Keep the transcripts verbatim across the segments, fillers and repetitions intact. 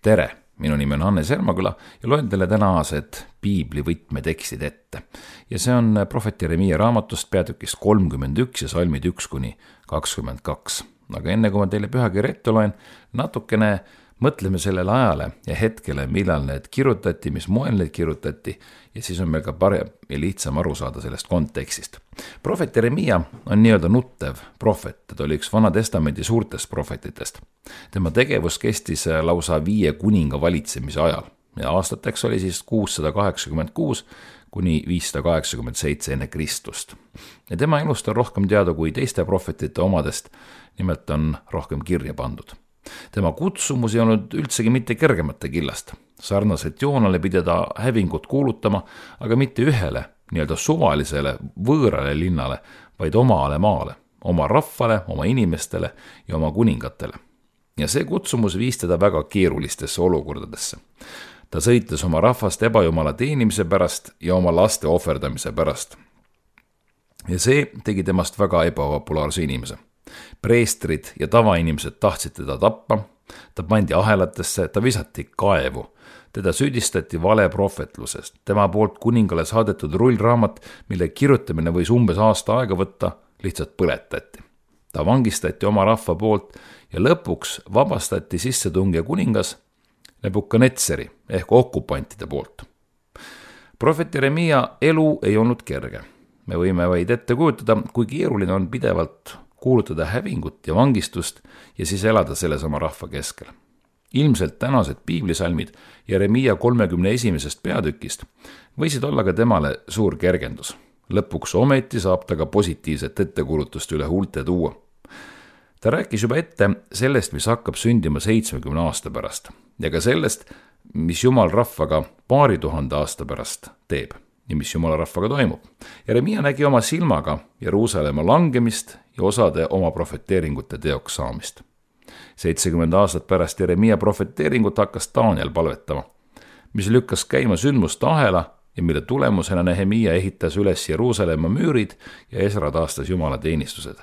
Tere, minu nimi on Hannes Ermaküla ja loen teile tänased piibli võtmetekstid ette. Ja see on prohvet Jeremiia raamatust peatükist kolmkümmend üks ja salmid üks kuni kakskümmend kaks. Aga enne kui ma teile pühakirja ette loen, natukene mõtleme sellele ajale ja hetkele, millal need kirjutati, mis moel need kirjutati, ja siis on meil ka parem ja lihtsam aru saada sellest kontekstist. Prohvet Jeremiia on nii-öelda nuttev prohvet, ta oli üks Vana Testamendi suurtest prohvetitest. Tema tegevus kestis lausa viie kuninga valitsemise ajal ja aastateks oli siis kuussada kaheksakümmend kuus kuni viissada kaheksakümmend seitse enne Kristust. Ja tema elust on rohkem teada kui teiste prohvetite omadest, nimelt on rohkem kirja pandud. Tema kutsumus ei olnud üldsegi mitte kergemate killast. Sarnaselt Joonale pidi ta hävingut kuulutama, aga mitte ühele, nii-öelda suvalisele, võõrale linnale, vaid omale maale, oma rahvale, oma inimestele ja oma kuningatele. Ja see kutsumus viis teda väga keerulistesse olukordadesse. Ta sõitles oma rahvast ebajumala teenimise pärast ja oma laste ohverdamise pärast. Ja see tegi temast väga ebapopulaarse inimese. Preestrid ja tavainimesed tahtsid teda tappa, ta pandi ahelatesse, ta visati kaevu, teda süüdistati vale prohvetlusest, tema poolt kuningale saadetud rullraamat, mille kirjutamine võis umbes aasta aega võtta, lihtsalt põletati. Ta vangistati oma rahva poolt ja lõpuks vabastati sissetungija kuningas Nebukadnetsari ehk okupantide poolt. Prohvet Jeremiia elu ei olnud kerge. Me võime vaid ette kujutada, kui keeruline on pidevalt kuulutada hävingut ja vangistust ja siis elada selles oma rahva keskel. Ilmselt tänased piiblisalmid Jeremiia kolmekümne esimesest peatükist võisid olla ka temale suur kergendus. Lõpuks ometi saab ta ka positiivset ettekuulutust üle huulte tuua. Ta rääkis juba ette sellest, mis hakkab sündima seitsmekümne aasta pärast ja ka sellest, mis Jumal rahvaga paari tuhande aasta pärast teeb ja mis Jumala rahvaga toimub. Jeremiia nägi oma silmaga Jeruusalemma langemist ja osade oma profeteeringute teoks saamist. seitsekümmend aastat pärast Jeremiia profeteeringut hakkas Daniel palvetama, mis lükkas käima sündmuste ahela ja mille tulemusena Nehemia ehitas üles Jeruusalemma müürid ja Esra taastas Jumala teenistused.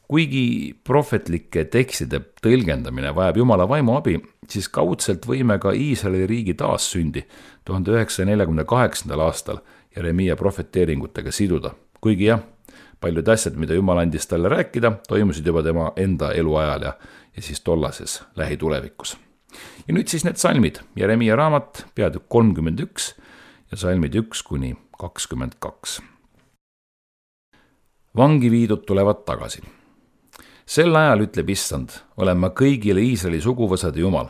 Kuigi prohvetlike tekstide tõlgendamine vajab Jumala vaimu abi, siis kaudselt võime ka Iisraeli riigi taassündi tuhande üheksasaja neljakümne kaheksandal aastal Jeremiia profeteeringutega siduda. Kuigi jah, paljud asjad, mida Jumal andis talle rääkida, toimusid juba tema enda eluajal ja, ja siis tollases lähitulevikus. Ja nüüd siis need salmid, Jeremiia raamat, peatükk kolmkümmend üks ja salmid üks kuni kakskümmend kaks. Vangi viidud tulevad tagasi. Sel ajal ütleb Issand, olen ma kõigile Iisraeli suguvõsade Jumal.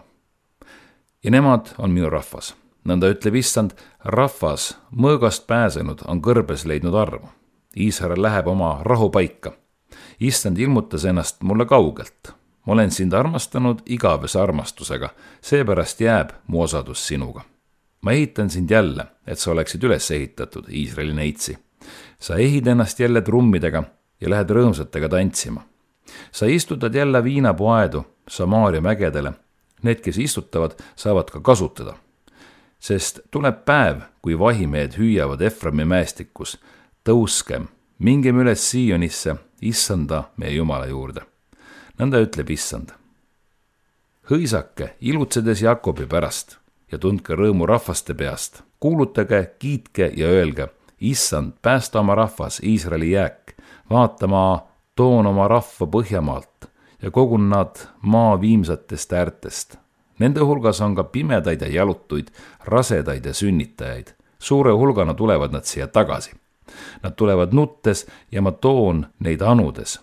Ja nemad on minu rahvas. Nõnda ütleb Issand, rahvas mõõgast pääsenud on kõrbes leidnud armu. Iisrael läheb oma rahu paika. Issand ilmutas ennast mulle kaugelt. Ma olen sind armastanud igavese armastusega, seepärast jääb mu osadus sinuga. Ma ehitan sind jälle, et sa oleksid üles ehitatud, Iisraeli neitsi. Sa ehid ennast jälle trummidega ja lähed rõõmsatega tantsima. Sa istutad jälle viinapuaedu Samaaria mägedele. Need, kes istutavad, saavad ka kasutada. Sest tuleb päev, kui vahimehed hüüavad Eframi mäestikus, tõuskem, mingem üles Siionisse, Issanda meie Jumala juurde. Nõnda ütleb Issand. Hõisake, ilutsedes Jakobi pärast ja tundke rõõmu rahvaste peast. Kuulutage, kiitke ja öelge, Issand, päästa oma rahvas, Iisraeli jääk. Vaata, ma toon oma rahva Põhjamaalt ja kogun nad maa viimsatest äärtest. Nende hulgas on ka pimedaid ja jalutuid, rasedaid ja sünnitajaid. Suure hulgana tulevad nad siia tagasi. Nad tulevad nuttes ja ma toon neid anudes.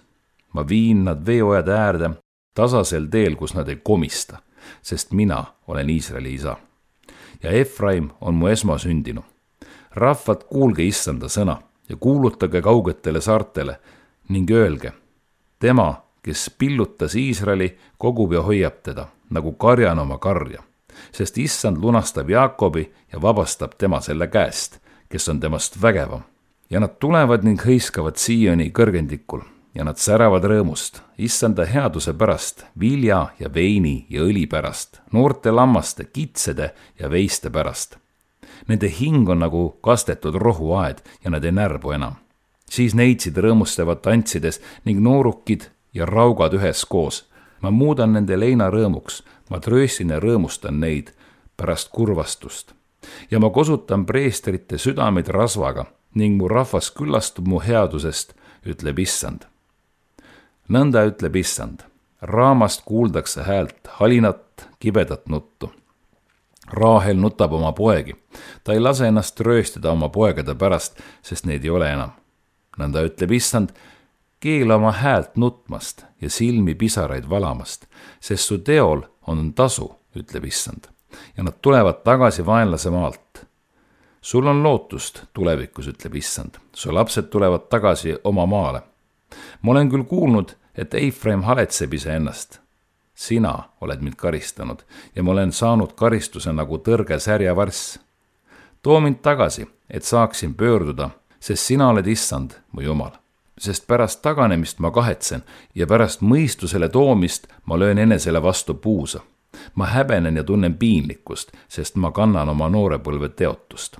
Ma viin nad veeojade äärde, tasasel teel, kus nad ei komista, sest mina olen Iisraeli isa. Ja Efraim on mu esmasündinu. Rahvad, kuulge Issanda sõna ja kuulutage kaugetele saartele ning öelge, tema, kes pillutas Iisraeli, kogub ja hoiab teda, nagu karjan oma karja, sest Issand lunastab Jaakobi ja vabastab tema selle käest, kes on temast vägevam. Ja nad tulevad ning hõiskavad Sioni kõrgendikul ja nad säravad rõõmust, Issanda headuse pärast, vilja ja veini ja õli pärast, noorte lammaste, kitsede ja veiste pärast. Nende hing on nagu kastetud rohuaed ja nad ei närbu enam. Siis neitsid rõõmustavad tantsides ning noorukid ja raugad ühes koos. Ma muudan nende leina rõõmuks, ma trööstin ja rõõmustan neid pärast kurvastust ja ma kosutan preestrite südameid rasvaga ning mu rahvas küllastub mu headusest, ütleb Issand. Nõnda ütleb Issand, raamast kuuldakse häält, halinat, kibedat nuttu. Raahel nutab oma poegi, ta ei lase ennast trööstada oma poegade pärast, sest neid ei ole enam. Nõnda ütleb Issand, keela oma häält nutmast ja silmi pisaraid valamast, sest su teol on tasu, ütleb Issand, ja nad tulevad tagasi vaenlase maalt. Sul on lootust tulevikus, ütleb Issand, su lapsed tulevad tagasi oma maale. Ma olen küll kuulnud, et Eifraim haletseb ise ennast. Sina oled mind karistanud ja ma olen saanud karistuse nagu tõrge särjavarss. Too mind tagasi, et saaksin pöörduda, sest sina oled Issand, mu Jumal. Sest pärast taganemist ma kahetsen ja pärast mõistusele toomist ma löön enesele vastu puusa. Ma häbenen ja tunnen piinlikkust, sest ma kannan oma noorepõlve teotust.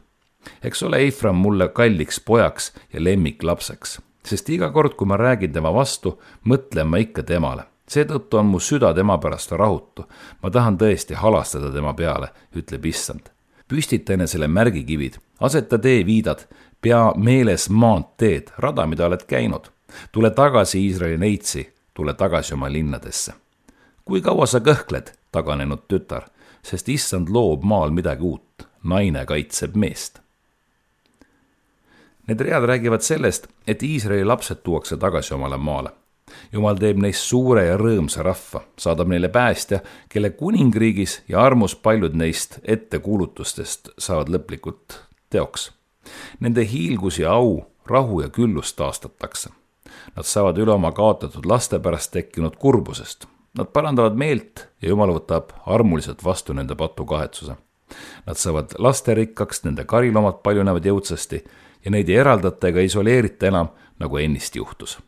Eks ole Eifram mulle kalliks pojaks ja lemmiklapseks, sest iga kord, kui ma räägin tema vastu, mõtlen ma ikka temale. Seetõttu on mu süda tema pärast rahutu. Ma tahan tõesti halastada tema peale, ütleb Issand. Püstita enesele märgikivid, aseta tee viidad, pea meeles maanteed, rada, mida oled käinud. Tule tagasi Iisraeli neitsi, tule tagasi oma linnadesse. Kui kaua sa kõhkled, taganenud tütar, sest Issand loob maal midagi uut, naine kaitseb meest. Need read räägivad sellest, et Iisraeli lapsed tuuakse tagasi omale maale. Jumal teeb neist suure ja rõõmsa rahva, saadab neile päästja, kelle kuningriigis ja armus paljud neist ettekuulutustest saavad lõplikult teoks. Nende hiilgus ja au, rahu ja küllust taastatakse. Nad saavad üle oma kaotatud laste pärast tekkinud kurbusest. Nad parandavad meelt ja Jumal võtab armuliselt vastu nende patu kahetsuse. Nad saavad lasterikkaks, nende karilomad paljunevad jõudsasti ja neid ei eraldata ega isoleerita enam, nagu ennist juhtus.